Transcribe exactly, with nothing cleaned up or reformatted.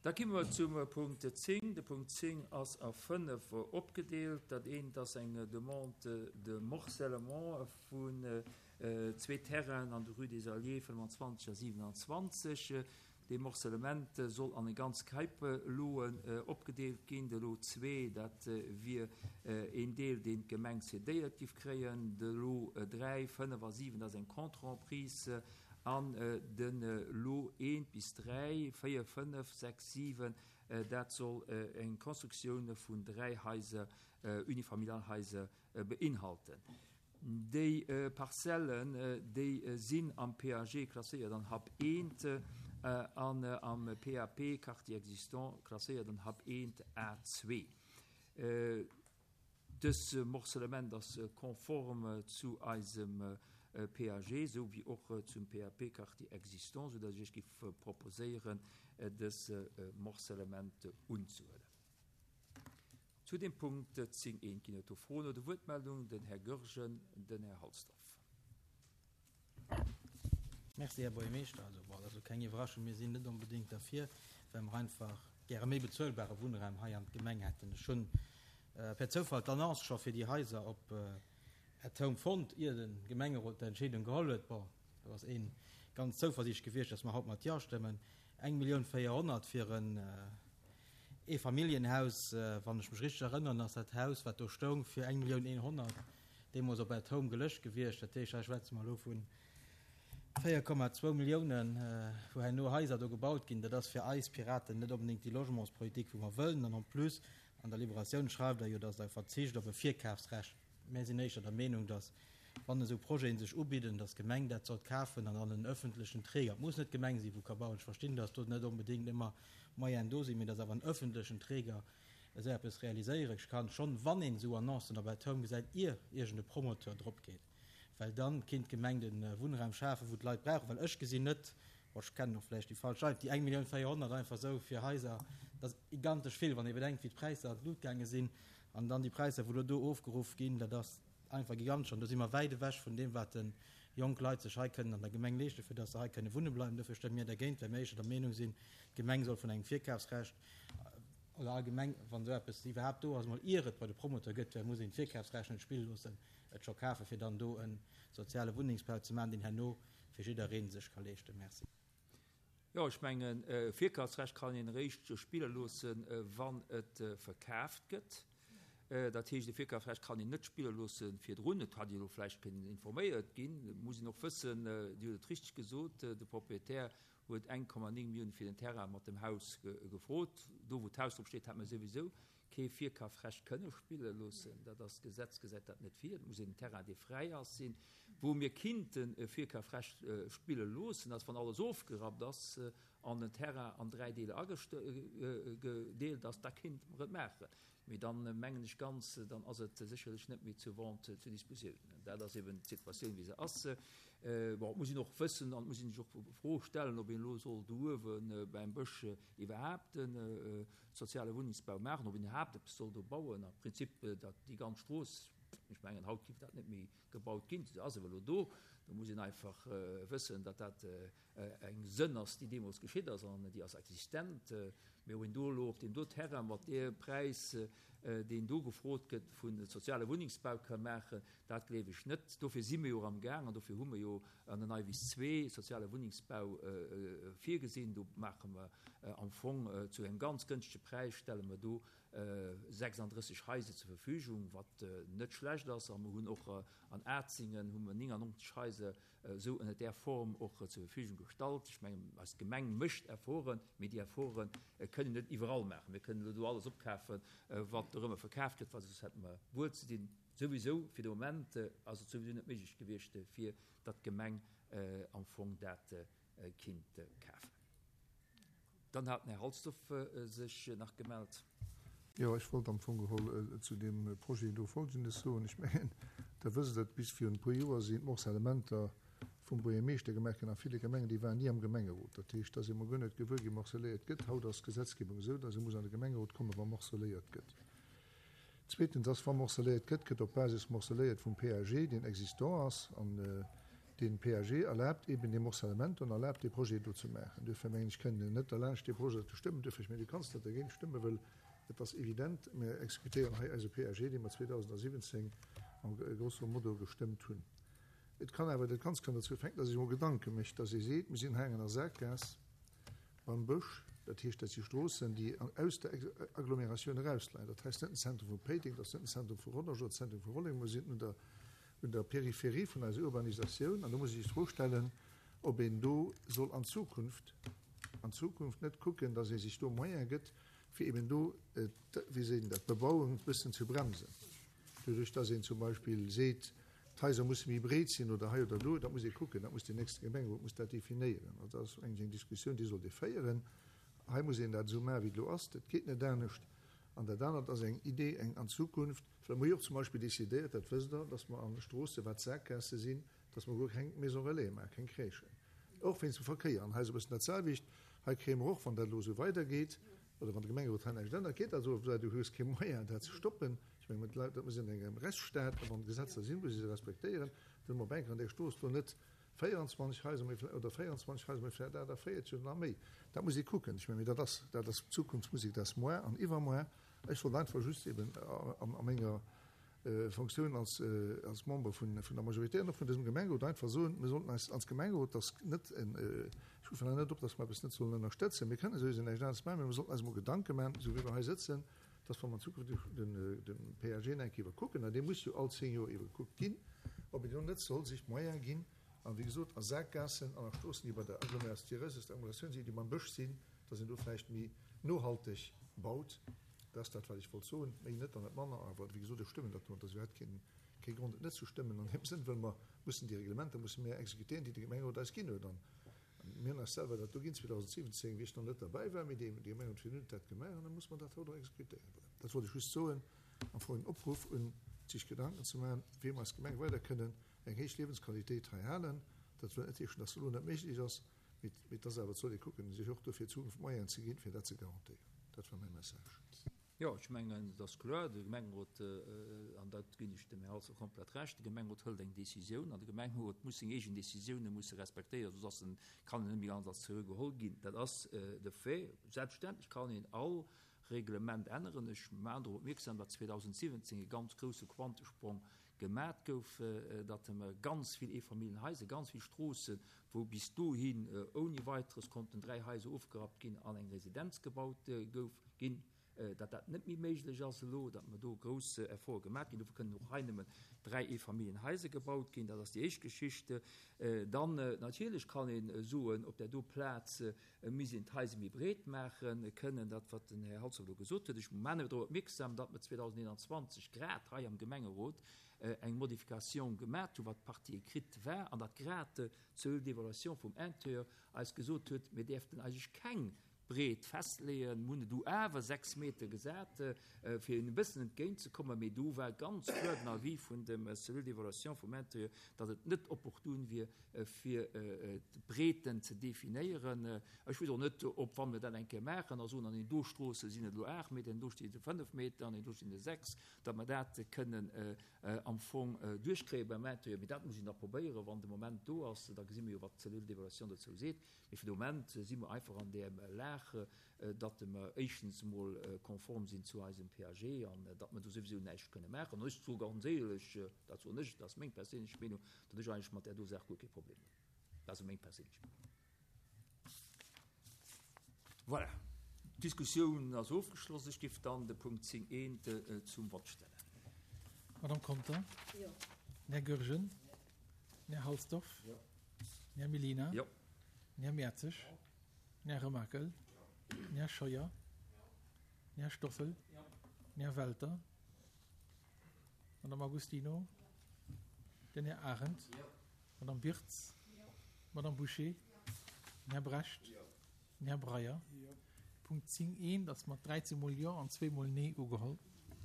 Da komme mer zum Punkt zéng. De Punkt zéng ass a fënnef opgedeelt. Dat eent ass eng Demande de morcellement vun zwee Terrainen an der Rue des Alliés fënnwanzwanzeg a siwenanzwanzeg. Dee Morcellement soll an eng ganz Käip Loen opgedeelt ginn. De Lot zwee, dat wier een Deel, deen d'Gemeng cédéiert giff kréien. De Lot dräi, fënnef a siwen, dat ass eng Contre-emprise. An de Lot eent bis dräi, véier, fënnef, sechs, siwen, dat soll eng Constructioun vun dräi Haiser, Unifamilialhaiser, beinhalten. Déi Parzellen, déi sinn am P A G klasséiert an Hab eent an am P A P, Quartier existant, klasséiert an Hab eent A zwee. Dës Morcellement ass konform zu eisem P A G, esou wéi och zum P A P Quartier existant, soudass ech giff proposéieren, dës Morcellement unzehuelen. Zu dem Punkt zéng eent ginn et do Froen oder Wuertmeldungen? Den Här Goergen, den Här Halsdorf. Merci, Här Buergermeeschter. Also, bon, dat ass elo keng Iwwerraschung, mir sinn net onbedéngt derfir, well mer einfach gäre méi bezuelbare Wunnraum hei an d'Gemeng hätten. Ech hunn per Zoufall d'Annonce scho fir déi Haiser op At Home fonnt, ier de Gemengerot d'Entscheedung geholl huet. Bon, do ass ee ganz zouversiichtlech gewiescht, dass mer haut mat Ja stëmmen. Eng Millioun véierhonnert fir en Eefamilljenhaus, wann ech mech richteg erënneren, ass dat Haus, wat do stoung, fir eng Millioun eenhonnert deemools op At Home gelëscht gewiescht. Dat heescht, hei schwätze mer elo vu véier Komma zwou Milliounen, wou herno Haiser do gebaut ginn. Dat ass fir eis Piraten net onbedéngt déi Logementspolitik, wou mer wëllen. An en plus, an der Liberatioun schreift Der jo, dass Der verzicht op e Virkafsrecht. Mir sinn éischter der Meenung, dass, wann esou Projeten sech ubidden, dass d'Gemeng dat sollt kafen an dann en öffentlechen Träger, et muss net d'Gemeng sinn, wou ka bauen, ech verstinn, dass do net onbedéngt ëmmer Moyenen do sinn, mee dass awer en öffentlechen Träger esou eppes realiséiere kann, schonn wann een esou Annoncen op At Home gesäit, ier iergend e Promoteur drop geet, well dann kinnt d'Gemeng de Wunnraum schafen, wou d'Leit brauchen, well ech gesinn net, bon, ech kennen och vläicht déi falsch Leit, déi eng Millioun véierhonnert einfach esou fir Haiser, dat ass gigantesch vill, wann ee bedenkt, wéi d'Präisser an d'Lut gaange sinn an dann déi Präisser, wou elo do ofgeruff ginn, dat ass einfach gigantesch an do si mer wäit ewech vun deem, wat de jonk Leit sech hei kënnen an der Gemeng leeschten, fir dass se hei kënne wunne bleiwen. Dofir stëmme mir dergéint, well mir éischter der Meenung sinn, d'Gemeng soll vun engem Virkafsrecht oder allgemeng, wann esou eppes iwwerhaapt do ass, mol ier et bei de Promoteur gëtt, well muss een d'Virkafsrecht net spille loossen, et scho kafen, fir dann do e soziale Wunnengsbau ze maachen, deen herno fir jidderee sech ka leeschten. Merci. Jo, ech mengen, Virkafsrecht kann een eréischt spille loossen, wann et verkaaft gëtt. Dat heescht, e Virkafsrecht kann een net spille loosse virdrun. Et hat elo vläicht kënnen informéiert ginn. Et muss een och wëssen, Dir hutt et richteg gesot, de Proprietär huet eng Komma néng Milliounen fir den Terrain mat dem Haus gefrot. Do, wou d'Haus drop steet, hat mer souwisou kee Virkafrecht kënne spille loossen. Dat ass, d'Gesetz gesäit dat net vir. Et muss een Terrain, dee fräi ass, sinn. Wou mir kinnten e Virkafrecht spille loossen, ass, wann alles ofgerappt ass an den Terrain an dräi Deeler agedeelt ass, da kinnte mer et maachen. Mee dann mengen ech ganz, dann ass et sécherlech net méi zur Vente zur Dispositioun. Dat ass eben d'Situatioun, wéi se ass. Bon, et muss een och wëssen an et muss een sech och d'Fro stellen, ob een elo soll do uewe beim Bësch iwwerhaapt e soziale Wunnengsbau maachen, ob een iwwerhaapt eppes soll do bauen. Am Prinzip, dat déi ganz Strooss, ech mengen, haut géif dat net méi gebaut ginn, se ass awer elo do. Do muss een einfach wëssen, datt dat eng Sënn ass, déi deemools geschitt ass an déi ass existent. Mee ob een do elo op deem do Terrain mat deem Präis, deen do gefrot gëtt, vu soziale Wunnengsbau ka maachen, dat gleef ech net. Dofir si mir jo am Gaang an dofir hu mer jo an den Neiwiss zwee soziale Wunnengsbau virgesinn. Do maache mer am Fong zu engem ganz gënschtege Präis, stelle mer do sechsanddrësseg Haiser zur Verfügung, wat net schlecht ass. A mer hunn och an Atzingen hu mer néngannonzeg Haiser esou ënner där Form och zur Verfügung gestallt. Ech mengen, eis Gemeng mécht Efforten, mee déi Efforte kënnen net iwwerall maachen. Mir kënnen elo do alles opkafen, wat dorëmmer verkaaft gëtt, well soss hätte mer wuel ze dinn. Souwisou, fir de Moment ass et souwisou net méiglech gewiescht, fir datt d'Gemeng am Fong dat kinnt kafen. Dann hat den Här Halsdorf sech nach gemellt. Jo, ech wollt am Fong geholl zu deem Projet do Folgendes soen. Ech mengen, Der wësst et, bis virun e puer Joer sinn d'Morcellementer vum Buergermeeschter gemaach ginn a ville Gemengen, déi waren ni am Gemengerot. Dat heescht, da si mer guer net gewuer ginn, morcelléiert gëtt. Haut ass d'Gesetzgebung esou, dass ee muss an de Gemengerot kommen, wa morcelléiert gëtt. Zweetens ass, wa morcelléiert gëtt, gëtt op Basis morcelléiert vum P A G, deen existant ass. An Den P A G erlaabt eben dee Morcellement an erlaabt dee Projet do ze maachen. Duerfir mengen ech, kënnen net derlaanscht dee Projet ze stëmmen. Duerfir, ech mengen, du kanns net dergéint stëmmen, well et ass evident, mir exekutéieren hei eise P A G, dee mer zweedausendasiwwenzéng am grosso modo gestëmmt hunn. Et kann awer dat Ganzt kann dozou féieren, dass ee sech emol Gedanke mécht, dass ee seet, mir sinn hei an enger Saakgaass beim Bësch, dat heescht, dat si Stroossen, déi aus der Agglomeratioun erausleien. Dat heescht net den Zentrum vu Péiteng, dat ass net den Zentrum vu Rodange oder Zentrum vu Rolleng, mir sinn un der, un der Peripherie vun eiser Urbanisatioun an do muss ee sech d'Fro stellen, ob een do soll an Zukunft, an Zukunft net kucken, dass ee sech do Moyen gëtt, fir eben do, wéi seet een dat, d'Bebauung e bëssen ze bremsen. Doduerch, dass een zum Beispill seet, d'Haiser musse méi breet sinn oder hei oder do, dat muss ee kucken, dat muss den nächste Gemengerot muss dat definéieren. Also dat ass eng eng Diskussioun, déi sollt ee féieren. Hei muss een dat esou maachen, wéi et elo ass, dat geet net anescht. An dat anert ass eng Idee, eng an Zukunft, well mer hu jo och zum Beispill decidéiert, dat wësst Der, dass mer an Stroosse, wat Saakgaasse sinn, dass mer guer keng Maison relais maachen, keng Crèchen. Och wéinst dem Verkéier. An hei ass e bëssen dat selwecht. Hei kréie mer och, wann dat elo esou weidergeet, oder wann de Gemengerot hei näischt ännert, geet dat esou, well du hues kee Moyen, dat ze stoppen. Ech mengen, mat Leit, mir sinn an engem Rechtsstaat, a wann Gesetzer sinn, muss ee se respektéieren. Dann hu mer op eng Kéier an där Strooss do net véierenzwanzeg Haiser, mee vläicht, oder véierenzwanzeg Haiser, mee vläicht aachtavéierzeg oder nach méi. Dat muss ee kucken. Ech mengen, mee dat ass, dat ass Zukunftsmusik, dat ass muer an iwwermuer. Ech wollt einfach just eben a menger Fonctioun als, als Member vun, vun der Majorité an och vun dësem Gemengerot einfach soen, mir sollten eis als Gemengerot, dass net en, ech ruffen net op, dass mer eppes net sollen ënnerstëtzen, mir kënnen souwisou näischt aneres maachen, mee mir sollten eis emol Gedanke maachen, esou wéi mer hei sëtzen, dass wa mer an Zukunft den, den P A G eng Kéier iwwerkucken, an dee muss jo all zéng Joer iwwerkuckt ginn, ob een do net soll sech d'Moyen ginn, an wéi gesot a Saakgaassen an a Stroossen, déi bei der Agglomeratioun, déi Agglomeratioun sinn, déi beim Bësch sinn, dass een do vläicht méi nohalteg baut. Dat ass dat, wat ech wollt soen, méi net an net manner. Awer wéi gesot, ech stëmmen dat do, an et ass iwwerhaapt keen, kee Grond, et net ze stëmmen an deem Sënn, well mer mussen déi Reglementer musse mir exekutéieren, déi de Gemengerot eis ginn huet. An mir hunn eis selwer dat do ginn zweedausendsiwwenzéng, wéi ech nach net derbäi war, mee dee Gemengerot virdrun huet dat gemaach, an da muss mer dat haut och exekutéieren. Voilà. Dat wollt ech just soen, am Fong en Opruff un sech Gedanken ze maachen, wéi mer als Gemeng weider kënnen eng héich Liewensqualitéit hei halen. Dat wëll net heeschen, dass se elo net méiglech ass, mee et ass awer, et soll ee kucken, sech och dofir Zukunft Moyenen ze ginn, fir dat ze garantéieren. Dat war mäi Message. Jo, ech mengen, et ass kloer, de Gemengerot, an dat ginn ech dem Här Halsdorf komplett Recht, de Gemengerot hëlt eng Décisioun an de Gemengerot muss seng eegen Décisioune musse respektéieren, soss ass en, kann en net méi ganz als seriö geholl ginn. Dat ass de Fait. Selbstverständlech kann een all Reglement änneren. Ech maachen drop opmierksam, datt zweedausendsiwwenzéng e ganz grousse Quantesprong gemat gouf, datt mer ganz vill Eefamilljenhaiser, ganz vill Stroossen, wou bis dohin ouni Weiteres konnten dräi Haiser ofgerappt ginn an eng Residenz gebaut gouf, ginn, datt dat net méi méiglech ass elo, datt mer do grouss Efforte gemaach ginn. Dofir kënnen och hei nëmmen dräi Eefamilljenhaiser gebaut ginn. Dat ass déi éischt Geschicht. Dann natierlech kann ee soen, op där do Plaz misst een d'Haiser méi breet maachen kënnen, dat wat den Här Halsdorf elo gesot huet. Ech maachen awer drop opmierksam, datt mer zweedausendeenanzwanzeg grad hei am Gemengerot eng Modification gemat hunn, wat d'Partie écrite war, an datt grad d'Cellule d'évaluation vum Intérieur eis gesot huet, mir däerften eigentlech keng Breet festleeën. Mir hunn du awer sechs Meter gesat, fir hinnen e bëssen entgéintzekommen, mee do war ganz kloer den Avis vun dem Cellule d'évaluation vum Intérieur, datt et net opportun wier, fir d'Breeten ze definéieren. Ech weess och net, ob, wa mir dat eng Kéier maachen a soen, an den do Stroosse sinn et elo aacht Meter, an do stinn et fënnef Meter, an den do stinn et sechs, datt mer dat kënnen am Fong duerchkréie beim Intérieur. Mee dat muss een da probéieren, wann de Moment do ass, da gesi mir jo, wat d'Cellule d'évaluation dozou seet. Mee fir de Moment si mer einfach an där Lag, datt mer éischtens emol konform sinn zu eisem P A G an datt mer do souwisou näischt kënne maachen. An ech soe ganz éierlech, dat soen ech, dat ass meng perséinlech Meenung, datt ech eigentlech mat där do Saach guer kee Problem hunn. Dat ass meng perséinlech Meenung. Voilà, d'Diskussioun ass ofgeschloss. Ech géif dann de Punkt zéng eent zum Vott stellen. Madame Conter? Jo. Den Här Goergen? Den Här Halsdorf? Jo. Den Här Mellina? Jo. Den Här Mertzig? Den Här Remakel? Den Här Scheuer? Den Här Stoffel? Den Här Welter? Madame Agostino? Den Här Arendt? Madame Birtz? Madame Boucher? Den Här Brecht? Den Här Breyer? Punkt zéng eent ass mat dräizéng mol Jo an zwee mol Nee ugeholl.